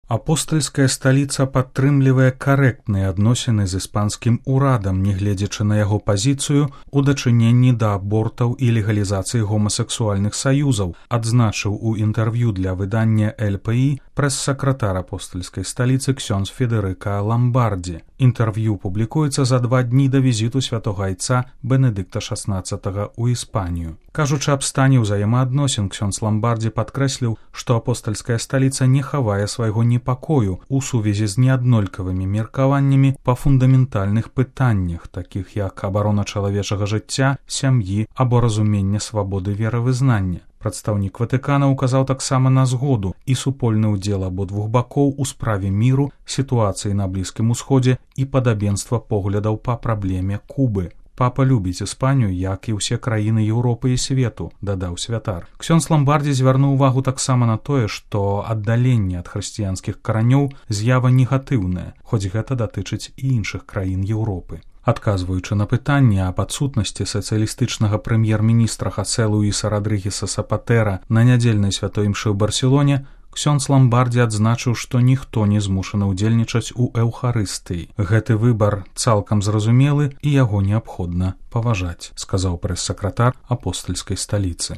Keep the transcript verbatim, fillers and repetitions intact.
Апостальская сталіца падтрымлівае карэктныя адносіны з іспанскім урадам, нягледзячы на яго пазіцыю ў дачыненні да абортаў і легалізацыі гомасексуальных саюзаў, адзначыў у інтэрв'ю для выдання эл пэ і прэс-сакратар апостальскай сталіцы ксёндз Федэрыка Ламбардзі. Інтэрв'ю публікуецца за два дні да візіту святога айца Бенедыкта шаснаццатага ў Іспанію. Кажучы аб стане ўзаемаадносін, ксёндз Ламбардзі падкрэсліў, што апостальская сталіца не хавае свайго непакою ў сувязі з неаднолькавымі меркаваннямі па фундаментальных пытаннях, такіх як абарона чалавечага жыцця, сям'і або разумення свабоды веравызнання. Прадстаўнік Ватыкана ўказаў таксама на згоду і супольны ўдзел абодвух бакоў у справе міру, сітуацыі на Блізкім Усходзе і падабенства поглядаў па праблеме Кубы. Папа любіць Іспанію, як і ўсе краіны Еўропы і свету, дадаў святар. Ксёндз Ламбардзі звярнуў увагу таксама на тое, што аддаленне ад хрысціянскіх каранёў з'ява негатыўная, хоць гэта датычыць і іншых краін Еўропы. Адказваючы на пытанне аб адсутнасці сацыялістычнага прэм'ер-міністра Хасе Луіса Радрыгеса Сапатэра на нядзельнай святой імшы ў Барселоне, ксёндз Ламбардзі адзначыў, што ніхто не змушаны ўдзельнічаць у эўхарыстыі. Гэты выбар цалкам зразумелы і яго неабходна паважаць, сказаў прэс-сакратар апостальскай сталіцы.